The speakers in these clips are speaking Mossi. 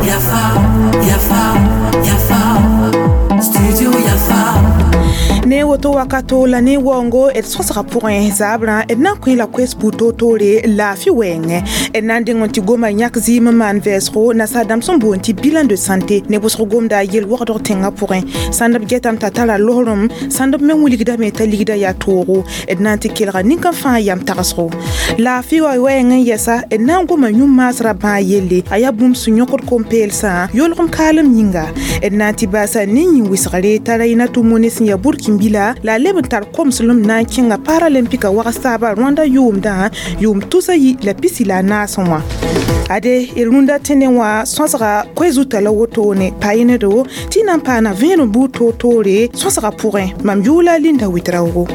Yafa, Yafa, Yafa, Studio Yafa. Ne woto wakato la ne waoongo d sõsga pʋgẽ zaabrã d na n kõ la koes buud toor-toore laafɩ wɛɛngẽ d na n deng n tɩ goma yãk zɩɩm n maan vɛɛsgo nasaar-dãmb sẽn boond tɩ bilan de santé ne wʋsg gomda yel-wogdg tẽngã pʋgẽ sãnd b getame t'a tara losrem sãnd b me wilgdame t'a ligda yaa toogo d na n tɩ kelga nin-kã fãa yam tagsgo laafɩ wa wɛɛng n yɛsa d na n goma yũ-maasrã bãag yelle a yaa bũmb sẽn yõkd kom-peelsã yolgem kaalem yĩnga d na n tɩ baasa ne yĩn-wɩsgre t'a Rainatou Mone sẽn yaa burkin-bila la a leb n tar komslem na n kẽnga paralympika wags taaba Rwanda yʋʋmdã yʋʋm 2014 wã ade d rũndã tẽne wã sõsga koe-zutã la wotone pa-yẽnedo tɩ na n paana vẽenem buud toor-toore sõsga pʋgẽ mam yʋʋla Linda Ouedraogo.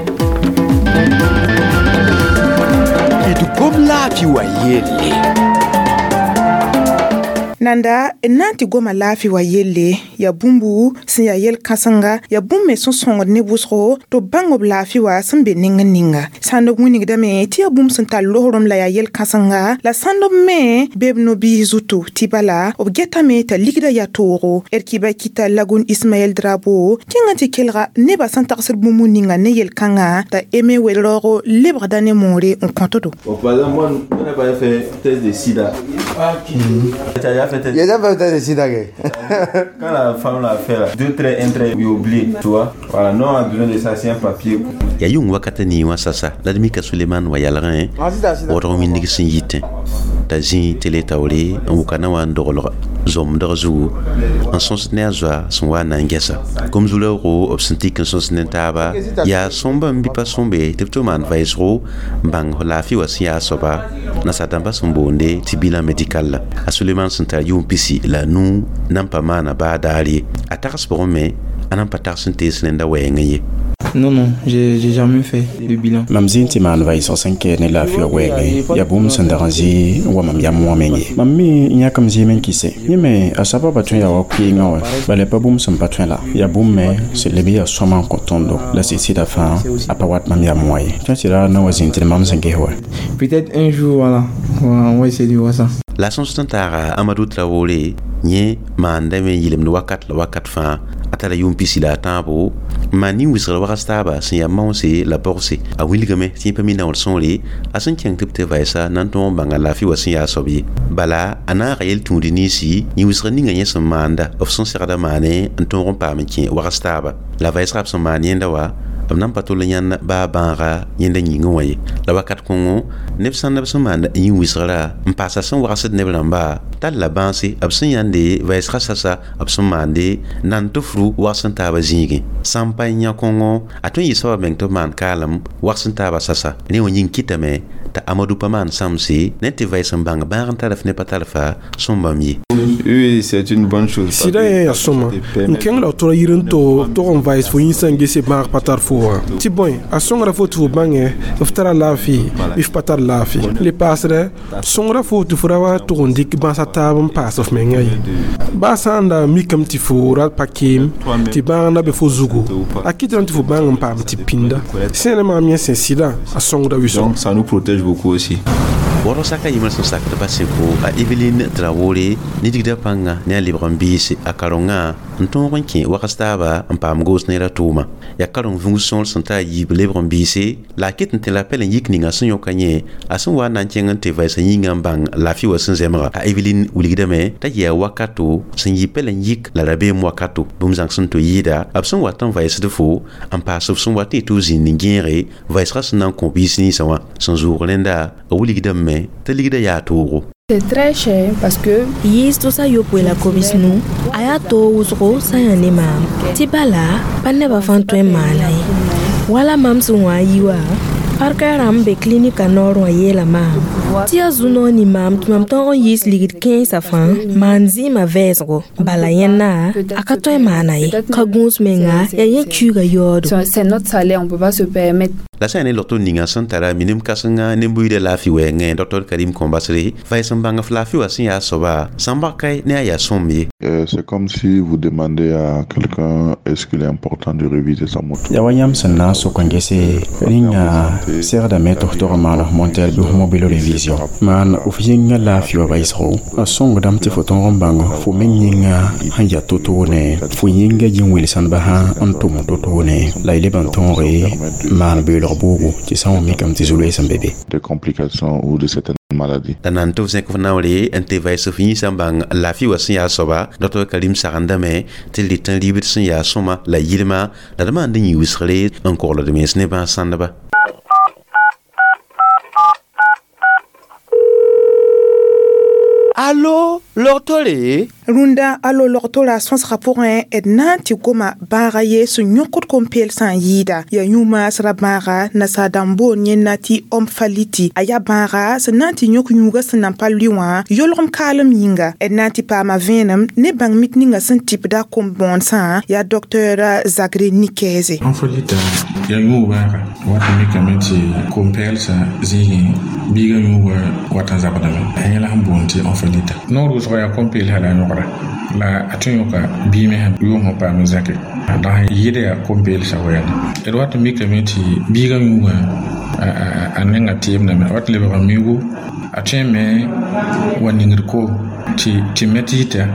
D gom laafɩ wa yelle. Nanda n na n tɩ goma laafɩ wa yelle yaa bũmbu sẽn yaa yel-kãsenga yaa bũmb me sẽn sõngd ne wʋsgo tɩ b bãng b laafɩ wa sẽn be neng n ninga sãnd b wilgdame tɩ yaa bũmb sẽn tar losrem la yaa yel-kãsenga la sãnd b me be b no-biis zutu tɩ bala b getame t'a ligda yaa toogo d kɩba kɩta Lagun Ismaɛl Drabo kẽng n tɩ kelga nebã sẽn tagsd bũmb ninga ne yel-kãngã t'a Aimé Ouedraogo lebgda ne moore n kõtdo. Bon, par exemple, moi, on n'a pas fait test de sida. Tu as déjà fait test? J'ai déjà fait test de sida. Quand la femme l'a fait, là, 2 traits, 1 trait, il oublie, tu vois. Voilà, nous on a besoin de ça, c'est un papier. Ya yʋng wakata nii wã sasa la d mika Suleman wa yalgẽ waoodg wĩndg sẽn yitẽ t'a zĩ tele taoore n wʋka na wa n doglg zomdg zugu n sõsd ne a zoa sẽn wa n na n gɛsa gom-zu-raoogo b sẽn tik n sõsd ne taaba yaa sõmba n bɩ pa sõmbe tɩ b tɩ maan vɛɛsgo n bãng laafɩ wa sẽn yaa a soaba nasaar-dãmbã sẽn boonde tɩ bilan médical la a Suleman sẽn tar yʋʋm 15 nan pa maana baa daar ye a tags pʋgẽ me a nan pa tags n tees rẽnda wɛɛngẽ ye. Non, non, j'ai jamais fait de bilan. Mam zĩ n tɩ maan vɛɛsg sẽn kɛɛd ne laafɩ wã wɛɛngẽ yaa bũmb sẽn dag n zɩ n wa mam yam wã meng ye mam me n yãkm zɩɩm n kɩse yẽ me a sababa tõe yaa wa koeengã wã bala pa bũmb sẽn pa tõe la yaa bũmb me sẽn leb yaa sõma n kõ tõndo la sɩd sɩda fãa a pa wat mam yam wã ye tõe tɩ ra na wa zĩnd tɩ mam sẽn ges wa. Peut-être un jour, voilà, on va essayer de voir ça. La sõs sẽn taaga Amadou Traoré yẽ maandame n yɩlemd wakat la wakat fãa a tara yʋʋm 13 n maan nin-wɩsgr wags taaba sẽn yaa maoose la bogse a wilgame tɩ yẽ pa mi naoor sõore a sẽn kẽng tɩ b tɩ vɛɛsa na n tõog n bãnga laafɩ wa sẽn yaa a soab ye bala a naaga yel-tũud ninsi yĩn-wɩsgr ninga yẽ sẽn maanda b sẽn segda maane n tõog n paam n kẽ wags taaba la vɛɛsga b sẽn maan yẽnda wa b nan pa tol n yãnd baa bãaga yẽnda yĩngẽ wã ye la wakat kõngo neb sãnd b sẽn maand yĩn-wɩsgrã n paasa sẽn wagsd neb rãmba tall la bãase b sẽn yãnde vɛɛsga sasa b sẽn maande nan tɩ fru wags n taaba zĩigẽ sã n pa yã kõngo a tõe n yɩ soaba meng tɩ b maan kaalem wags n taaba sasa rẽ wã yĩng kɩtame t'a Amadou pa maan sãmse ne tɩ vɛɛs n bãng bãag n tarf ne pa tarfa sõmbam ye. Oui, c'est une bonne chose. Sɩda yẽ yaa sõma n kẽng la f tora yir n to tog n vaɩs fo yĩnsã n gese bãag pa tar fo wã tɩ bõe a sõngra fo tɩ fo bãngẽ f tara laafɩ bɩ f pa tar laafɩ le paasdɛ sõngra fo tɩ fo ra wa tʋg n dɩk bãasa taab n paas f mengã ye baa sã n da mikame tɩ fo ra pa keem tɩ bãag na be fo zugu a kɩtame tɩ fo bãng n paam tɩ pĩnda sẽn maam yẽ sẽn sɩdã a sõngda wɩsgo. Donc ça nous protège beaucoup aussi. Waoodg saka yɩmr sẽn sakd pa sẽko a Eveline Traoré nidigda pãnga ne a lebg n biise a karengã n tõog n kẽ wags taaba n paam goos neerã tʋʋma yaa kareng vũus sõor sẽn ta a yiib lebg n biise la a ket n tẽ la pɛl n yik ninga sẽn yõka yẽ a sẽn wa n na n kẽng n tɩ vɛɛsã yĩngã n bãng laafɩ wa sẽn zemga a Eveline wilgdame t'a yɩa wakato sẽn yɩ pɛl n yik la rabeem wakato bũmb zãng sẽn to yɩɩda b sẽn wat n vɛɛsd fo n paas f sẽn wat n tɩ f zĩnd n gẽege vɛɛsgã sẽn na n kõ biis ninsã wã sẽn zʋʋg rẽnda a wilgdame t'a ligda yaa toogo. C'est très cher parce que Yiis tʋsa yopoe la kobs nu a yaa toog wʋsgo sã yã ne maam tɩ bala pa nebã fãa tõe n maana ye wala mam sẽn wã yi wa parka rãmb be klinika noor wã yeela maam tɩ yaa zu-noor ning maam tɩ mam tõog n yiis ligd kẽensã fãa maan zɩɩmã vɛɛsgo bala yẽnna a ka tõe n maana ye ka gũus menga yaa yẽ kuiigã yaoodo. C'est notre salaire, on peut pas se permettre. La sã yaa ne logto ninga sẽn tara minim kãsenga ne-buiidã laafɩ wɛɛngẽ Dr Karim Kõmbasre vaɩs n bãng f laafɩ wã sẽn yaa soaba sãn baka ne a yaa sõm ye. C'est comme si vous demandez à quelqu'un est-ce qu'il est important de réviser sa moto. Yaa wa yãmb sẽn na n sok n gese rĩnga segdame tɩ f tog n maan f monter bɩ f mobilo revision maan f yĩnga laafɩ wã baɩsgo a sõngdame tɩ fo tõog n bãng fo meng yĩnga sẽn yaa to-toone fo yĩnga yĩn-welsãndbã sã n tʋm to-toone la y leb n tõoge maan beoolg boogo tɩ sã n wa mikame tɩ zu-loees n be be. Des complications ou de certaines maladies. La nan tɩ f zẽk f naoore n tɩ vaɩs f yĩnsã n bãng laafɩ wã sẽn yaa soaba Dr Karim sagendame tɩ d rɩt n ribd sẽn yaa sõma la yɩlma la d maand n yĩ wɩsgre n kogld mens ne bãas sãndba. Allo, logtore? Rũndã alo logtora sõsgã pʋgẽ d na n tɩ goma bãaga ye sẽn yõkd kom-peelsã n yɩɩda yaa yũ-maasrã bãaga nasaar-dãmb boond yẽnna tɩ omphaliti a yaa bãaga sẽn na n tɩ yõk yũugã sẽn nan pa lʋɩ wã yolgem kaalem yĩnga d na n tɩ paama vẽenem ne bãng mit ninga sẽn tɩpda kom-bõonesã yaa docteur Zagre Nikɛɛse. Omphalita yaa yũug bãaga wat n mikame tɩ kom-pɛɛlsã zĩigẽ biigã yũugã wat n zabdame a yẽla sẽn boond tɩ omphalita noor wʋsg yaa kom-peelsa la a yõgra la a tõe yõka bii me yʋʋm sẽn paam zãke la sẽn yɩɩda yaa kom-peelsa wɛɛnda d wat n mikame tɩ biigã yũugã a nenga teemdame a wat n lebga miugu a tõe me wa ningd koom tɩ me tɩ yita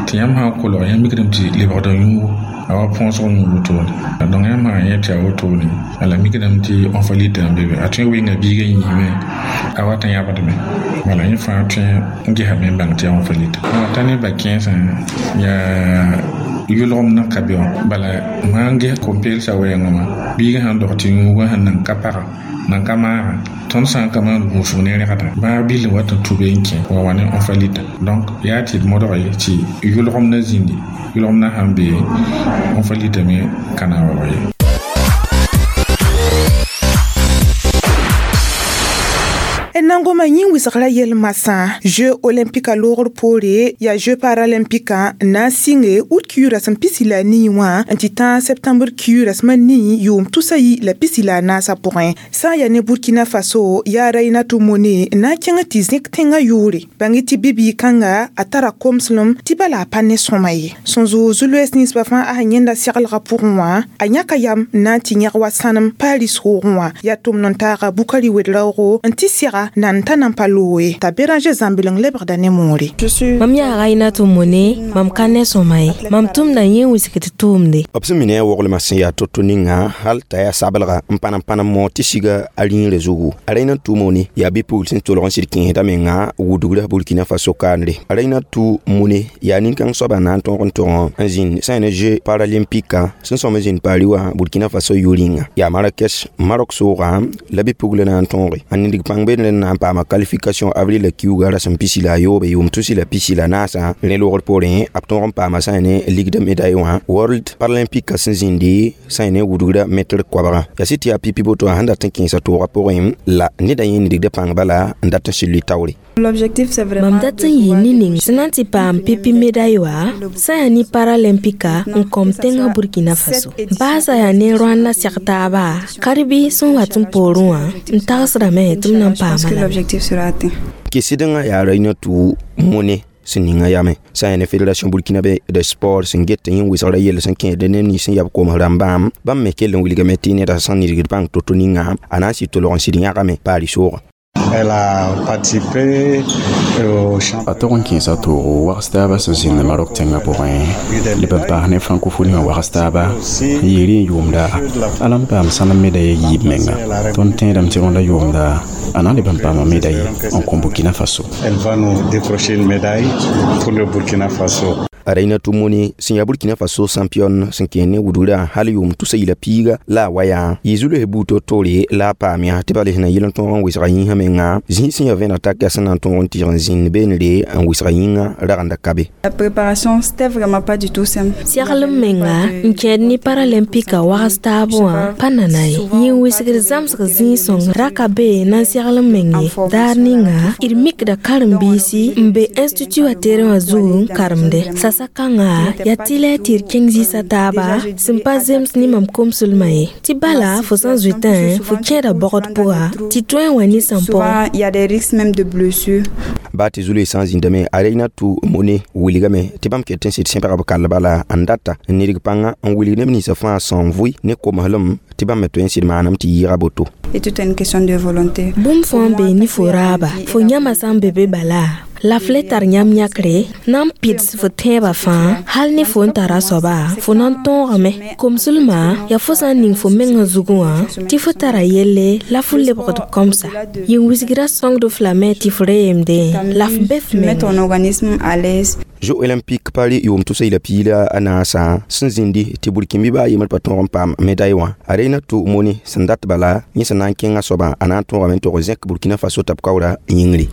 tɩ yãmb sã n kolg yãmb mikdame tɩ lebgda yũugu a wa põosg yũug wotone donc yãmb sã n yẽ tɩ a wotone la mikdame tɩ omphalita n be be a tõe wenga biigã yĩime a wat n yãbdme wala yẽ fãa tõe n gesame n bãng tɩ yaa omphalita t'a ne ba-kẽensã yaa yʋlgem na ka be wã bala sã n ges kom-peelsã wɛɛngã wã biigã sãn dog tɩ yũugã sẽn nan ka paga nan ka maaga tõnd sã n ka maan gũusg ne rẽgda bãag bill wat n tũ be n kẽ wa wa ne omphalita donc yaa tɩ d modg ye tɩ yʋlgem na zĩndi yʋlgem na sãn be omphalita me ka na n waoog ye. N na n goma yĩn wɩsgrã yel-masã jeux olympique a loogr poore yaa jeux paralympique n na n sɩnge ut kiuug rasem pisi la nii wã n tɩ tãag septembre kiuug rasmã nii yʋʋm tusa yi la pisi la a naasã pʋgẽ sã n yaa ne Burkina Faso yaa Rainatou Mone n na n kẽng tɩ zẽk tẽngã yʋʋre bãng tɩ bi-bɩɩg-kãnga a tara komslem tɩ bala a pa ne sõma ye sẽn zʋʋg zu-loees ninsbã fãa a sẽn yẽnda seglgã pʋgẽ wã a yãka yam n na n tɩ yẽg wa sãnem Paris roogẽ wã yaa tʋmd n taaga Bukari Wed-raoogo n tɩ sega nan t'a nan pa looe t'a Béranger zãmbileng lebgda ne moore. Mam yaa Rainatou Mone mam ka ne sõma ye mam tʋmda yẽ wisgd tʋʋmde. B sẽn mi ne a woglmã sẽn yaa to-to ninga hal t'a yaa sablga n pa n moog tɩ siga a rĩigrã zugu. A Rainatou Mone yaa bi-pugl sẽn tolg n sɩd kẽesda menga wudgra Burkina Faso kaanre. A Rainatou Mone yaa nin-kãng soaba na n tõog n tog n zĩnd sã ne jeux paralympique sẽn sõm n zĩnd Paris wã Burkina Faso yʋ-rĩnga. Yaa Marrakech Maroc soogã la bi-pugl na n tõoge. A nidg pãng beene na n paama qualification avril la kiuga rasem pisi la a yoobe yʋʋm tusi la pisi la naasã rẽ loogr poorẽ b tõog n paama sã ne ligue de médaille wã World Paralympique sẽn zĩndi sã ne wudgra mɛtr koabga yaa sɩ tɩ yaa pipi boto sẽn dat n kẽesa toogã pʋgẽ la neda yẽ nidgda pãng bala n dat n sɩ lʋɩ taoore. Mam dat n yɩ ne ning sẽn na n tɩ paam pipi médaille wã sã yaa ne paralympica n kõm tẽngã Burkina Faso baasã yaa ne rõanda seg taaba karbi sẽn wat n poorẽ wã n tagsdame tɩ m na n paama lame. Kɩsdengã yaa Rainatou Mone sẽn ninga yame sã n yaa ne fédération burkinabé de sport sẽn get tɩ yẽ wɩsgrã yell sẽn kẽesd neb nins sẽn yab koms rãmbã bãmb me kell n wilgame tɩ neda sẽn nidgd bãng to-to ninga a na n sɩd tolg n sɩd yãgame Paris soogã. Elle a participé au A tog n kẽesa toogo wags taaba sẽn zĩnd Maroc tẽngã pʋgẽ leb n paas ne francophonie wã wags taaba n yɩɩr n yʋʋmda a la n paam sãnem médaille yiib menga tõnd tẽedame tɩ rõndã yʋʋmda a na n leb n paama médaille n kõ Burkina Faso. Elle va nous décrocher une médaille pour le Burkina Faso. A Rainatou Mone sẽn yaa Burkina Faso champion sẽn kẽer ne wudgrã hal yʋʋm tusa yila piiga la a wa yaa yɩ zu-loes buud to-toore la a paam yaa tɩ bala sẽn na yɩl n tõog n wɩsga yĩnsã menga zĩig sẽn yaa vẽneg tak yaa sẽn na n tõog n tɩg n zĩnd beenre n wɩsga yĩngã ragenda ka be. La préparation, c'était vraiment pas du tout simple. Seglem menga n kẽed ne paralympica wags taab wã pa nana ye yĩn wɩsgd zãmsg zĩig-sõng ra ka be na n segl n meng ye daar ninga d mikda karen-biisi n be institut wã terẽ wã zug n karemde. Sakãnga yaa tɩlɛ tɩ d kẽng zɩɩsã taaba sẽn pa zems ne mam komslmã ye tɩ bala fo sã n zoetã fo kẽeda bɔgd pʋga tɩ tõe n wa ne sãn Souvent, il y a des risques même de blessures. Baa tɩ zului sã n zĩndame, a Reinatou Mone wilgame tɩ bãmb ket n sɩd sẽbga b kall bala n data n nidg pãnga n wilg neb ninsã fãa sẽn vʋɩ ne komeslem tɩ bãmb me tõe n sɩd maanam tɩ yɩɩga boto. Et tout est une question de volonté. Bũmb fãa n bee ne fo raaba fo yãmã sã n be be bala la f le tar yãmb yãkre na n pɩds fo tẽebã fãa hal ne fo n tara soaba fo na n tõogame komslmã yaa fo sã n ning fo mengã zugẽ wã tɩ fo tara yelle la fo lebgd kõmsa yĩn-wisgrã sõngd f lame tɩ f re yemdẽ la f be f Tu mets menga. Ton organisme à l'aise. Jeux olympique Paris yʋʋm tʋsa yila piig la a naasã sẽn zĩndi tɩ burkĩn bɩ a yembr pa tõog n paam médaille wã, a Reinatou Mone sẽn dat bala yẽ sẽn na n kẽngã soabã a na n tõogame n tog zẽk Burkina Faso t'a b kaoora yĩngri.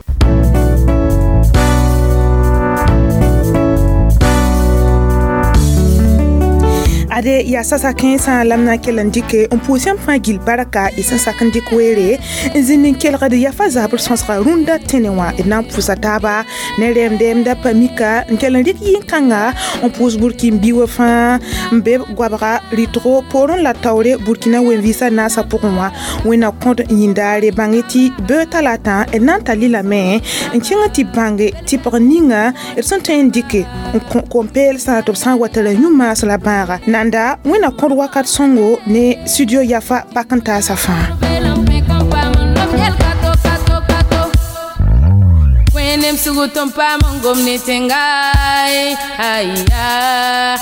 Ade yaa sasa kẽensã la m na n kell n dɩke n pʋʋs yãmb fãa gill barka y sẽn sak n dɩk weere n zĩnd n kelgd yafa zabr sõsga rũndã tẽne wã d na n pʋʋsa taaba ne rɛɛm-dɛɛmda pa mika n kell n rɩk yĩn-kãnga n pʋʋs burkin bi wã fãa n be goabga rɩtgo poorẽ la taoore Burkina wen-vɩɩsã naasã pʋgẽ wã wẽnna kõd yĩndaare bãng tɩ beoog talata d na n tar lilame n kẽng tɩ bãnge tɩ pg ninga d sẽn tõe n dɩke n kõ kom-peelsã tɩ b sã n wa tara yũ-maas la bãaga nanda wẽnna kõd wakat sõngo ne studio yafa pak n taasã fãa. Wẽnem sugu tõn paam n gom ne tẽnga, aya.